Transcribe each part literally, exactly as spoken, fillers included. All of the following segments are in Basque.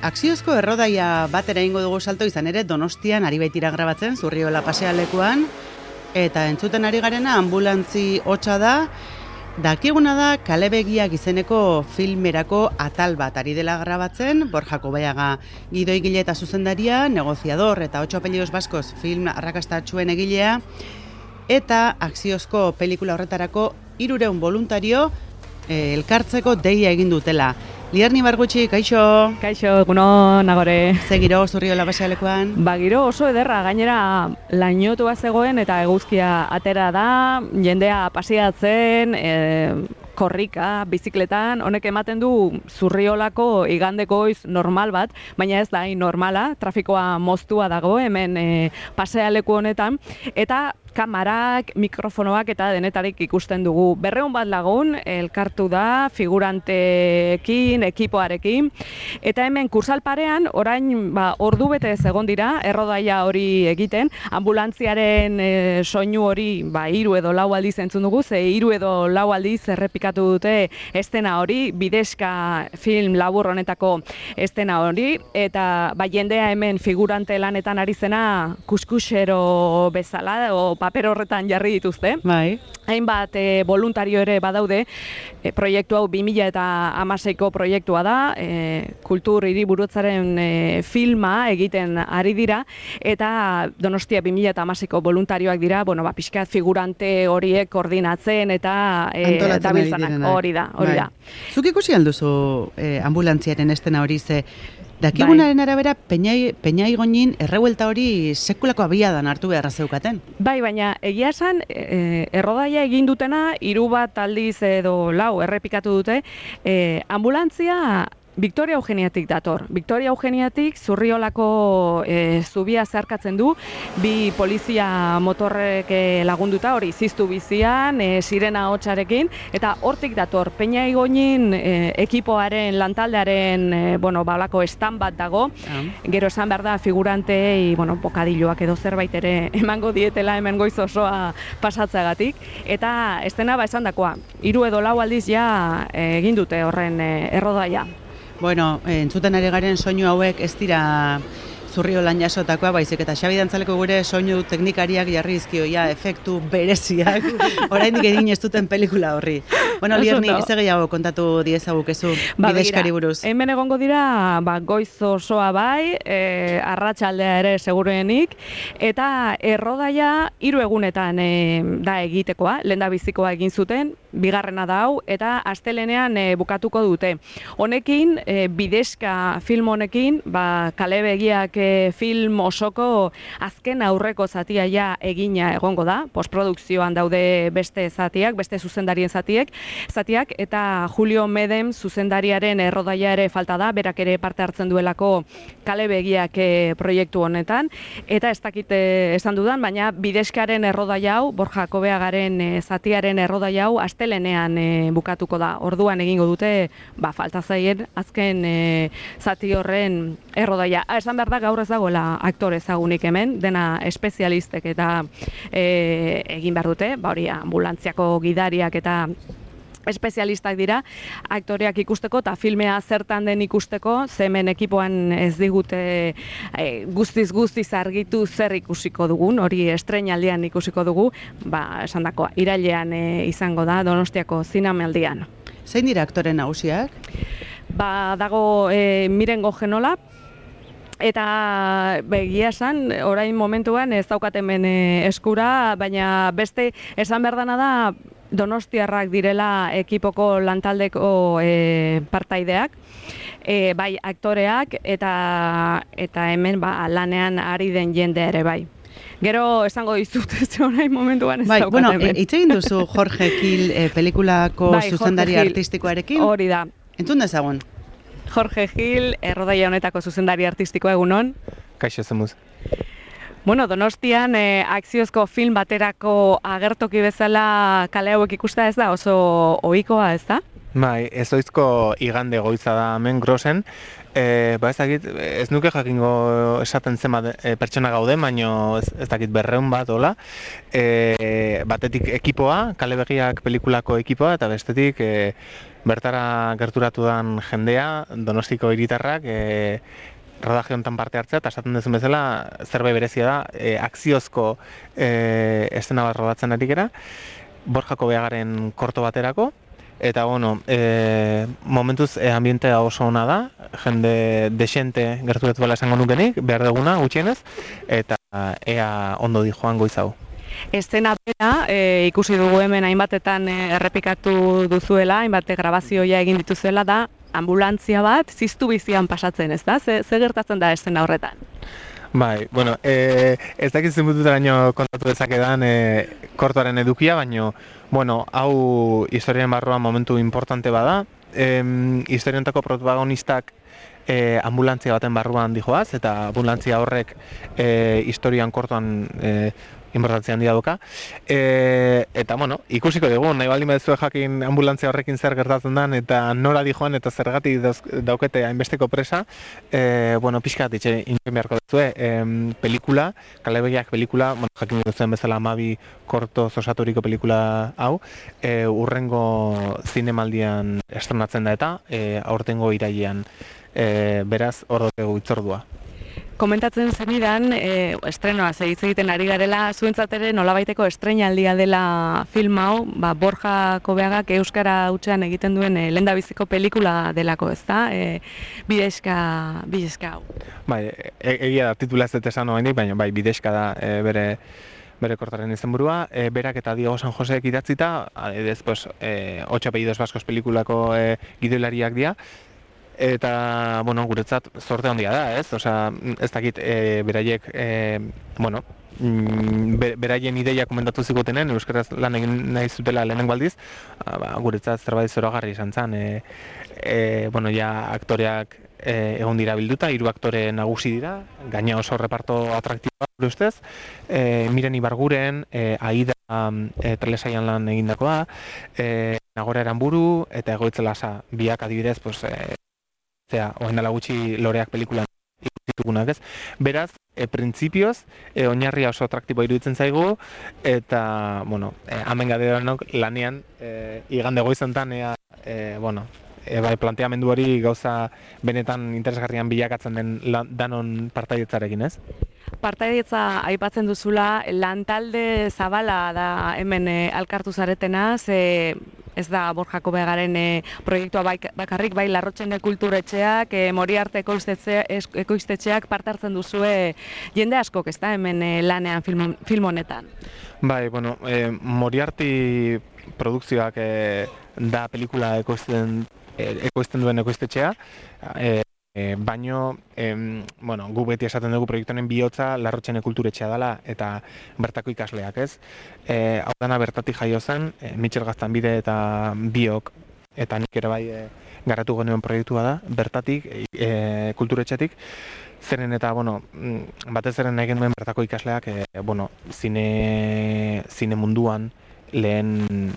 Akziozko errodaia batera ingo dugu salto, izan ere Donostian ari baitira grabatzen, Zurriola pasealekuan, eta entzuten ari garena ambulantzi hotsa da, dakiguna da Kalebegiak izeneko filmerako atal bat ari dela grabatzen, Borja Kobaiaga gidoigile eta zuzendaria, negoziador eta Ocho apellidos baskoz film arrakastatsuen egilea, eta akziozko pelikula horretarako hirurehun voluntario eh, elkartzeko deia egin dutela. Lierni Bargutxi, kaixo? Kaixo, egunon, agore. Ze giro Zurriola pasealekuan? Ba, giro oso ederra, gainera lainotua zegoen eta eguzkia atera da, jendea pasiatzen, e, korrika, bizikletan, honek ematen du Zurriolako igandeko goiz normal bat, baina ez da hain normala, trafikoa moztua dago hemen e, pasealeku honetan, eta kamarak, mikrofonoak eta denetarik ikusten dugu. Berrehun bat lagun elkartu da figuranteekin, ekipoarekin, eta hemen kursalparean orain ba, ordu bete egon dira errodaia hori egiten, ambulantziaren e, soinu hori ba, hiru edo lau aldiz entzun dugu, ze hiru edo lau aldiz errepikatu dute estena hori, bidezka film labur honetako estena hori, eta ba, jendea hemen figurante lanetan ari zena kuskusero bezala, o paper horretan jarri dituzte. Bai. Hainbat e, voluntario ere badaude, e, proiektu hau bi mila hamaseiko proiektua da, e, kultur hiriburutzaren e, filma egiten ari dira, eta Donostia bi mila hamaseiko voluntarioak dira, bueno, ba, pixkat figurante horiek koordinatzen eta e, dabiltzanak. Hori da, hori da. Zuk ikusi alduzu e, ambulantziaren estena hori, ze dakigunaren bai. Arabera, Peñai, Peñaigoñin errebuelta hori sekulako abiadan hartu beharra zeukaten. Bai, baina egia esan, e, errodaia egin dutena, hiru bat aldiz edo lau errepikatu dute, e, ambulantzia Victoria Eugeniatik dator. Victoria Eugeniatik Zurriolako e, zubia zeharkatzen du, bi polizia motorrek lagunduta, hori ziztu bizian, e, sirena hotsarekin, eta hortik dator. Peñaigoñin e, ekipoaren, lantaldearen, e, bueno, balako estan bat dago, ah. Gero esan behar da figurantei, bueno, bokadilloak edo zerbait ere emango dietela hemen goiz osoa pasatzeagatik, eta estena ba esan dakoa, hiru edo lau aldiz ja e, egin dute horren e, errodaia. Bueno, entzuten ari garen soinu hauek ez dira Zurriolan jasotakoa, baizik eta Xabi Dantzaleko gure soinu teknikariak jarri dizkioia efektu bereziak, oraindik egin ez duten pelikula horri. Bueno, Lierni, ez gehiago kontatu diezagukezu ba, bidezkari buruz. Hemen egongo dira, ba, goiz osoa bai, e, arratsaldea ere seguruenik, eta errodaia hiru egunetan e, da egitekoa, lehendabizikoa egin zuten, bigarrena da hau, eta astelenean e, bukatuko dute. Honekin, e, bidezka film honekin, ba, Kalebegiak e, film osoko azken aurreko zatia ja egina egongo da, postprodukzioan daude beste zatiak, beste zuzendarien zatiek, zatiak, eta Julio Medem zuzendariaren errodaia ere falta da, berak ere parte hartzen duelako Kalebegiak e, proiektu honetan, eta ez dakite esan dudan, baina bidezkaren errodaia hau, Borja Kobaiagaren e, zatiaren errodaia hau, astelenean e, bukatuko da. Orduan egingo dute, ba, falta zaien azken e, zati horren errodaia. Ha, esan behar da gaur ez dagoela aktore ezagunik hemen, dena espezialistek eta e, egin behar dute, ba hori ambulantziako gidariak eta espezialistak dira, aktoreak ikusteko eta filmea zertan den ikusteko, ze hemen ekipoan ez digute e, guztiz guztiz argitu zer ikusiko dugun, hori estreinaldian ikusiko dugu, ba, esan dakoa, irailean e, izango da Donostiako zinemaldian. Zein dira aktore nagusiak? Ba, dago e, Mirengo Genola, eta begia esan, orain momentuan ez daukaten hemen eskura, baina beste esan behar dana da donostiarrak direla ekipoko lantaldeko e, partaideak, e, bai aktoreak eta eta hemen ba, lanean ari den jende ere bai. Gero esango dizut ez orain momentuan ez bai, daukaten bueno, hemen. Hitz egin duzu Jorge Gil e, pelikulako bai, zuzendari artistikoarekin? Hori da. Entzun dezagun. Jorge Gil, errodaia honetako zuzendari artistikoa, egunon. Kaixo zemuz. Bueno, Donostian eh, akziozko film baterako agertoki bezala kale hauek ikusta ez da, oso ohikoa ez da? Bai, ez oizko igande goiza da hemen Grosen. E, ba ez dakit, ez nuke jakingo esaten zenbat e, pertsona gaude, baino ez, ez dakit berreun bat, hola. E, batetik ekipoa, Kalebegiak pelikulako ekipoa, eta bestetik e, bertara gerturatu dan jendea, Donostiko hiritarrak, e, rodaje honetan parte hartzea, eta esaten duzun bezala, zerbait berezia da, e, akziozko e, estena bat rodatzen ari gera, Borja Kobeagaren korto baterako, eta bueno, e, momentuz e, ambientea oso ona da, jende desente gerturatu bala esango nukenik, behar duguna gutxienez, eta ea ondo di joan goiz hau. Estena bera, e, ikusi dugu hemen hainbatetan e, errepikatu duzuela, hainbate grabazioa egin dituzuela da, ambulantzia bat ziztu bizian pasatzen, ez da? Ze, ze gertatzen da estena horretan? Bai, bueno, e, ez dakit zenbututaraino kontatu dezakedan e, kortoaren edukia, baino, bueno, hau historiaren barruan momentu importante bada. E, historiantako protagonistak e, ambulantzia baten barruan dijoaz, eta ambulantzia horrek e, historian kortoan e, importantzia handia doka. E, eta, bueno, ikusiko dugu, nahi baldin baduzue jakin ambulantzia horrekin zer gertatzen den, eta nora dijoan eta zergatik daukete hainbesteko presa, e, bueno, pixka bat itxe inbien beharko duzue. E, pelikula, Kalebegiak pelikula, bueno, jakin duzuen bezala hamabi korto osaturiko pelikula hau, e, urrengo zinemaldian estrenatzen da eta, e, aurtengo irailean, e, beraz, hor dugu itzordua. Komentatzen zenidan, e, estrenoa hitz egiten ari garela, zuentzat ere nolabaiteko estreinaldia dela film hau, ba, Borja Kobeagak euskara hutsean egiten duen e, lehendabiziko pelikula delako, ezta? E, bidezka, bidezka hau. Bai, e, egia da, titula ez dut esan oraindik, baina bai, bidezka da e, bere bere kortaren izenburua, e, berak eta Diego San Joseek idatzita, adibidez, pues, e, Ocho apellidos vascos pelikulako e, gidoilariak dira, eta, bueno, guretzat zorte handia da, ez? Osea, ez dakit, e, beraiek, e, bueno, be, beraien ideia komentatu zigutenen, euskaraz lan egin nahi zutela lehenengo aldiz, ba, guretzat zerbait zoragarri izan zen, e, e, bueno, ja aktoreak e, egon dira bilduta, hiru aktore nagusi dira, gaina oso reparto atraktiboa gure ustez, e, Miren Ibarguren, e, Aida e, Telesailan lan egindakoa, e, Nagora Eranburu, eta Egoitz Lasa, biak adibidez, pues, e, zera, oain dela gutxi Loreak pelikulan ikustitugunak, ez? Beraz, e, printzipioz, e, oinarria oso atraktiboa iruditzen zaigu, eta, bueno, e, hemen gaderanok lanean, e, igande goizontan, ea, e, bueno, e, bai, planteamendu hori gauza benetan interesgarrian bilakatzen den lan, danon partaidetzarekin, ez? Partaidetza aipatzen duzula, lantalde zabala da hemen e, alkartu zaretena, ze ez da Borja Kobeagaren e, proiektua bai, bakarrik, bai Larrotxene kulturetxeak, e, Moriarte ekoiztetxeak parte hartzen duzue jende askok, ez da, hemen e, lanean film, film honetan. Bai, bueno, e, Moriarty produkzioak e, da pelikula ekoizten, e, ekoizten duen ekoiztetxea, e, E, baino, em, bueno, gu beti esaten dugu proiektu honen bihotza Larrotxene kulturetxea dela eta bertako ikasleak, ez? E, hau dana bertatik jaio zen, e, Mitxel Gaztanbide eta biok, eta nik ere bai e, garatu genuen proiektua da, bertatik, e, kulturetxetik, zeren eta, bueno, batez eren egin duen bertako ikasleak, e, bueno, zine, zine munduan lehen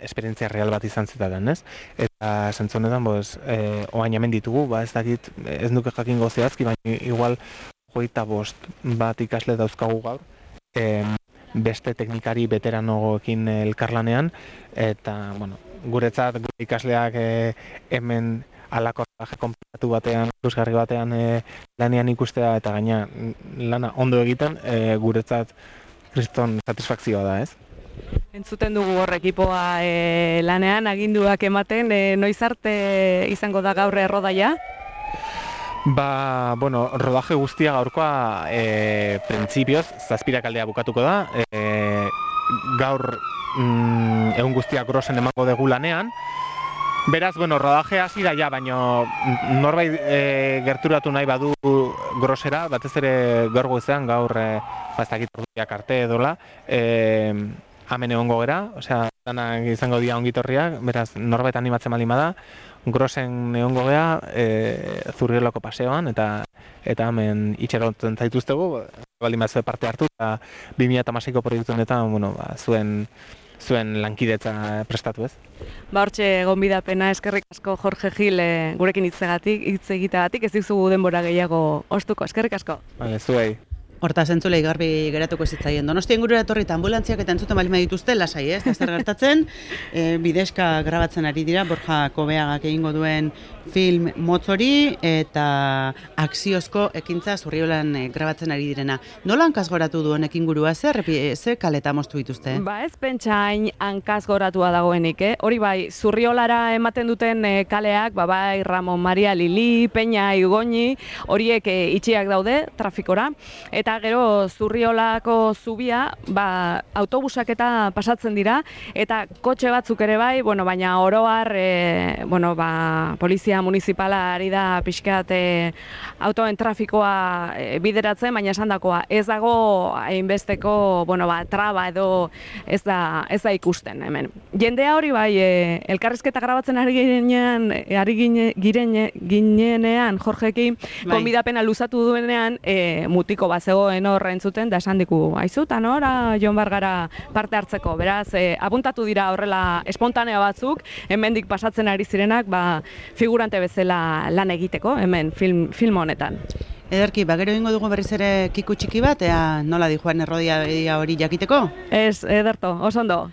esperientzia real bat izan zitaten, ez? Eta sentzonetan, pues, eh, oain hemen ditugu, ba ez dakit, ez nuke jakingo zehazki, baina igual hogeita bost bat ikasle dauzkagu gaur, eh, beste teknikari veteranoekin elkarlanean, eta, bueno, guretzat gure ikasleak eh, hemen alako traje konplatu batean, ikusgarri batean eh, lanean ikustea, eta gaina lana ondo egiten, eh, guretzat kriston satisfakzioa da, ez? Entzuten dugu hor ekipoa e, lanean, aginduak ematen, e, noiz arte izango da gaur errodaia? Ba, bueno, rodaje guztia gaurkoa e, printzipioz, zazpirak aldea bukatuko da. E, gaur mm, egun guztiak grosen emango dugu lanean. Beraz, bueno, rodaje hasi da ja, baina norbait e, gerturatu nahi badu grosera, batez ere gaur goizean, gaur e, baztakit orduak arte edola, e, hemen egongo gera, osea, danak izango dira ongitorriak, beraz, norbait animatzen baldin bada, grosen egongo gera, e, Zurriolako paseoan, eta eta hemen itxerotzen zaituztegu, baldin bat zuen parte hartu, eta bi mila hamaseiko proiektu honetan, bueno, ba, zuen zuen lankidetza prestatu, ez? Ba, hortxe gonbidapena, eskerrik asko Jorge Gil e, gurekin hitzegatik, hitz egiteagatik, ez dizugu denbora gehiago ostuko, eskerrik asko. Vale, zuei. Hortaz entzulei garbi geratuko zitzaien. Donostia ingurura etorri eta ambulantziak eta entzuten bali dituzte, lasai, ez? Da zer gertatzen, e, bideska grabatzen ari dira, Borja Kobeagak egingo duen film motzori eta akziozko ekintza Zurriolan e, grabatzen ari direna. Nola hankazgoratu du honek ingurua, zer, ze kaleta moztu dituzte? Ba ez pentsain hankazgoratua dagoenik, eh? Hori bai, Zurriolara ematen duten e, kaleak, ba bai, Ramon Maria Lili, Peña Igoni, horiek e, itxiak daude trafikora, eta gero Zurriolako zubia, ba, autobusak eta pasatzen dira, eta kotxe batzuk ere bai, bueno, baina oroar, e, bueno, ba, polizia municipala ari da pixkat e, autoen trafikoa e, bideratzen, baina esandakoa ez dago hainbesteko, bueno, ba, traba edo ez da, ez da ikusten hemen. Jendea hori bai, e, elkarrizketa grabatzen ari ginean, ari gine, girene, ginenean, Jorgekin, bai. Konbidapena luzatu duenean, e, mutiko bat zegoen horra entzuten, da esan diku, aizu, eta nora joan bargara parte hartzeko. Beraz, e, apuntatu dira horrela espontanea batzuk, hemendik pasatzen ari zirenak, ba, figurante bezala lan egiteko, hemen, film, film honetan. Ederki, bagero ingo dugu berriz ere kiku txiki bat, ea nola di Juan Errodia hori jakiteko? Ez, ederto, oso ondo.